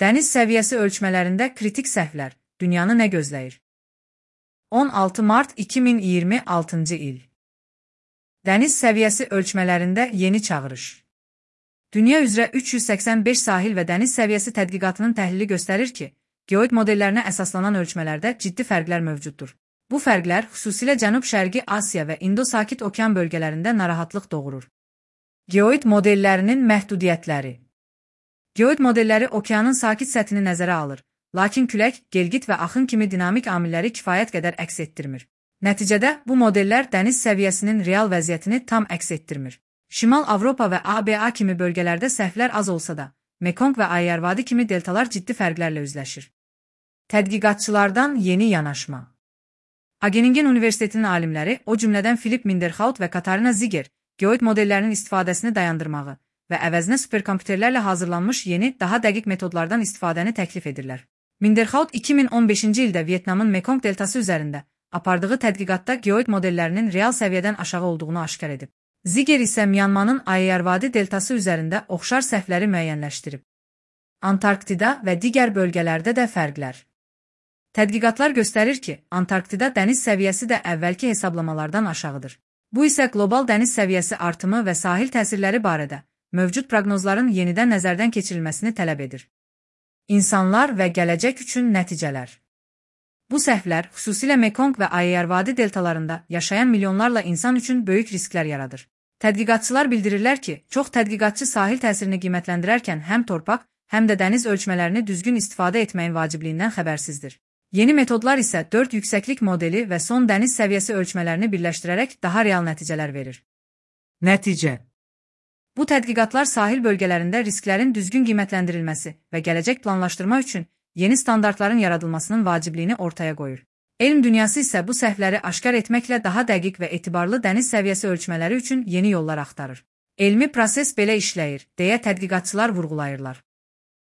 Dəniz səviyyəsi ölçmələrində kritik səhvlər. Dünyanı nə gözləyir? 16 mart 2026-cı il. Dəniz səviyyəsi ölçmələrində yeni çağırış. Dünya üzrə 385 sahil və dəniz səviyyəsi tədqiqatının təhlili göstərir ki, geoid modellərinə əsaslanan ölçmələrdə ciddi fərqlər mövcuddur. Bu fərqlər xüsusilə Cənub-Şərqi Asiya və İndo-Sakit okean bölgələrində narahatlıq doğurur. Geoid modellərinin məhdudiyyətləri. Geoid modelləri okeanın sakit səthini nəzərə alır, lakin külək, gelgit və axın kimi dinamik amilləri kifayət qədər əks etdirmir. Nəticədə bu modellər dəniz səviyyəsinin real vəziyyətini tam əks etdirmir. Şimal Avropa və ABA kimi bölgələrdə səhvlər az olsa da, Mekong və Ayeyarvadi kimi deltalar ciddi fərqlərlə üzləşir. Tədqiqatçılardan yeni yanaşma. Wageningen Universitetinin alimləri, o cümlədən Philip Minderhout və Katarina Ziger, geoid modellərinin istifadəsini dayandırmağı və əvəzinə superkompüterlərlə hazırlanmış yeni, daha dəqiq metodlardan istifadəni təklif edirlər. Minderhout 2015-ci ildə Vyetnamın Mekong deltası üzərində apardığı tədqiqatda geoid modellərinin real səviyyədən aşağı olduğunu aşkar edib. Ziger isə Myanmanın Ayeyarvadi deltası üzərində oxşar səhvləri müəyyənləşdirib. Antarktida və digər bölgələrdə də fərqlər. Tədqiqatlar göstərir ki, Antarktida dəniz səviyyəsi də əvvəlki hesablamalardan aşağıdır. Bu isə qlobal dəniz səviyyəsi artımı və sahil təsirləri barədə mövcud proqnozların yenidən nəzərdən keçirilməsini tələb edir. İnsanlar və gələcək üçün nəticələr. Bu səhvlər xüsusilə Mekong və Ayeyarvadi deltalarında yaşayan milyonlarla insan üçün böyük risklər yaradır. Tədqiqatçılar bildirirlər ki, çox tədqiqatçı sahil təsirini qiymətləndirərkən həm torpaq, həm də dəniz ölçmələrini düzgün istifadə etməyin vacibliyindən xəbərsizdir. Yeni metodlar isə 4 yüksəklik modeli və son dəniz səviyyəsi ölçmələrini birləşdirərək daha real nəticələr verir. Nəticə. Bu tədqiqatlar sahil bölgələrində risklərin düzgün qiymətləndirilməsi və gələcək planlaşdırma üçün yeni standartların yaradılmasının vacibliyini ortaya qoyur. Elm dünyası isə bu səhvləri aşkar etməklə daha dəqiq və etibarlı dəniz səviyyəsi ölçmələri üçün yeni yollar axtarır. Elmi proses belə işləyir, deyə tədqiqatçılar vurğulayırlar.